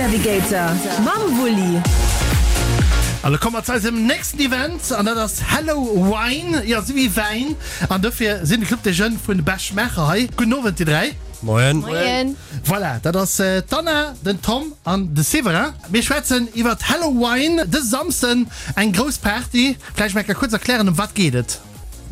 Navigator mam Wulli. An da komme mer zu eisem nächsten Event an dat ass Hello Wine, jo esou wéi Wäin. An dofir sinn de Club des Jeunes vun Bech-Maacher hei. Gudden Owend dir 3. Moien. Moien. Voilà, dat ass d'Anna, den Tom an de Séverin. Mir schwätzen iwwert Hello Wine dëse Samsden, eng grouss Party. Vläicht mol eng Kéier kuerz erklären, ëm wat geet et?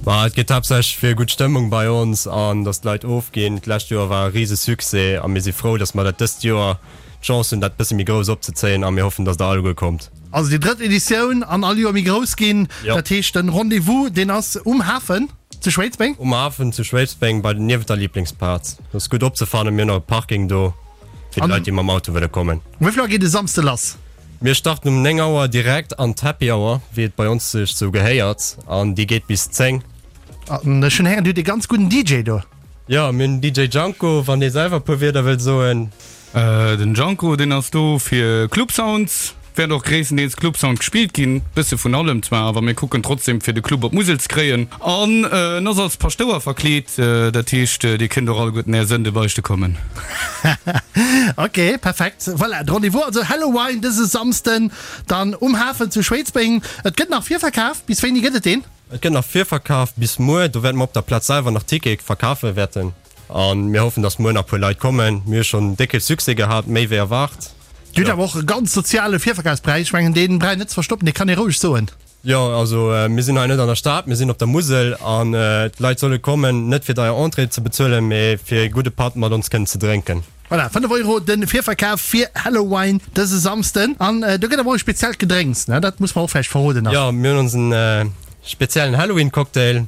Ma et geet haaptsächlech fir gutt Stëmmung bei ons an dass d'Leit ofginn. D'lescht Joer war e rise Succès a mir si frou, dass mer dat dëst Joer d'Chance hunn, dat bësse méi grouss opzezéien a mir hoffen, dass der alleguer kommt. Also déi drëtt Editioun an all Joer méi grouss ginn. Jo. Dat heescht den Rendez-vous deen ass um Hafen zu Schwéidsbeng? Um Hafen zu Schwéidsbeng bei niewent der Lieblingsplaz. Dat ass gutt opzefannen. Mir hunn och e Parking do fir déi Leit, déi mam Auto wëlle kommen. Um wéi vill Auer geet e Samsde lass? Mir starten um 9 Auer direkt an d'Happy Hour, wéi et bei ons sech sou gehéiert, an déi geet bis 10. An ech hunn héieren, dir hutt ee ganz gudden DJ do. Jo, mir hunn den DJ Janko, wann dee selwer e puer Wierder wëllt soen. Den Janko, deen ass do fir Club Sounds. Wäert och gréisstendeels Club Sound gespillt ginn, bësse vun allem zwar, awer mir kucken trotzdem fir de Club op d'Musel ze kréien. An en ass als Paschtouer verkleet, dat heescht dir kënnt och alleguerten är Sënde beichte kommen. Ok, perfekt. Voilà, de Rendez-vous also Hallowine dëse Samsden dann um Hafen zu Schwéidsbeng. Et gëtt nach Virverkaf. Bis wéini gëtt et deen? Et gëtt nach Virverkaf bis muer. Do wäerte mer op der Plaz selwer nach Tickete verkafe wäerten. A mir hoffen, dass muer nach e puer Leit kommen. Mir hu schonn décke Succès gehat, méi wéi erwaart. Dir hutt awer och e ganz soziale Virverkafspräis. Ech mengen, dee brauch een net ze verstoppen, dee kann ee roueg soen. Jo, also mir sinn hei net an der Stad, mir sinn op der Musel an d'Leit solle kommen, net fir deier Entrée ze bezuelen, mee fir ee gudde Patt mat ons kënnen ze drénken. Voilà, 5 Euro de Virverkaf fir Hallowine dëse Samsden. An do gëtt awer och e speziellt Gedrénks, ne? Dat muss mer och vläicht verroden nach. Jo, mir hunn onsen speziellen Halloween-Cocktail.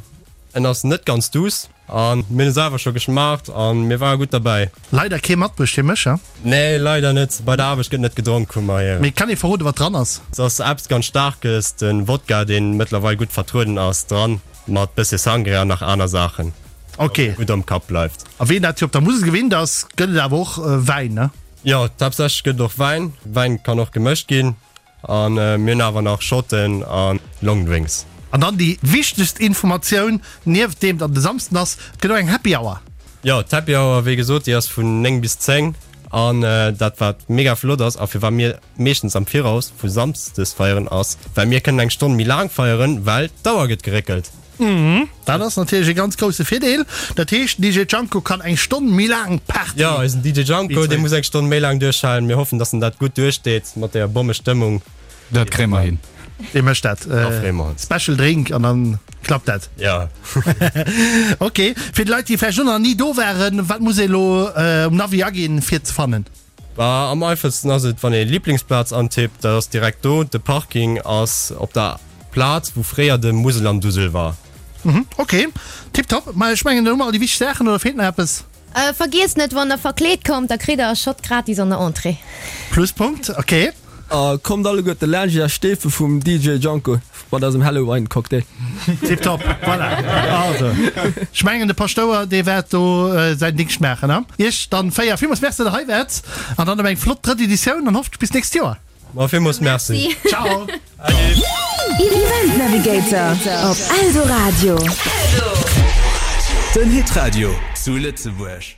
En ass net ganz duuss. An mir hunn e selwer scho geschmaacht an mir ware gutt derbäi. Leider kee matbruecht fir mech, he? Nee, leider net. Bei der Aarbecht gëtt net gedronk, hu mer héieren. Mee kann ee verroden, wat dran ass? Et ass eppes ganz Staarkes, de Wodka, deen mëttlerweil gutt vertrueden ass, dran, mat bëssche Sangria an nach aner Saachen. Ok. Datt et gutt am Kapp bleift. A ween dat jo op der Musel gewinnt ass, gëtt et awer och Wäin, ne? Jo, haaptsächlech gëtt et och Wäin. Wäin kann och gemëscht ginn. An mir hunn awer nach Shotten a Longdrinks. An dann déi wichtegst Informatioun, nieft deem datt et e Samsden ass, et gëtt och eng Happy Hour. Jo, d'Happy Hour, wéi gesot, déi ass vun 9 bis 10. An dat wat mega flott ass a firwat mir meeschtens am Viraus vu Samsdes feieren ass, well mir kënnen eng Stonn méi laang feieren, well d'Auer gëtt geréckelt. Dat ass natierlech e ganz grousse Virdeel. Dat heescht, den DJ Janko kann eng Stonn méi laang Party. Jo, eisen DJ Janko, dee muss eng Stonn méi laang duerchhalen. Mir hoffen, dass en dat gutt duerchsteet mat deeër Bommestëmmung. Dat kréie mer hin. Dee mécht dat. Da freeë mer ons. Special Drink an dann klappt dat. Jo. Ok, fir déi Leit, déi vläicht och nach ni do waren, wat muss ee elo um Navi aginn, fir et ze fannen? Bah, am einfachsten ass et wann ee Lieblingsplaz antippt, dat ass direkt do. De Parking ass op der Plaz wou fréier de Muselandusel war. Mhm, ok, tiptop. Ma ech mengen, do hu mer all déi wichteg Saachen, oder feelt nach eppes? Vergiesst net, wann der verkleet kommt, da kritt der e Shot gratis an der Entrée. Pluspunkt, ok. A kommt alleguerte laanscht iech steefe vum DJ Janko mat eisem Hallowine Cocktail. Tiptop, voilà. Also, ech mengen de Paschtouer dee wäert do säin Dingscht maachen. A iech dann 4 villmools Merci, datt der hei waart an dann op eng flott drëtt Editioun an hoffentlech bis d'nächst Joer. Ma villmools Merci. Ciao. Event Navigator op Eldoradio. Den Hitradio zu Lëtzebuerg.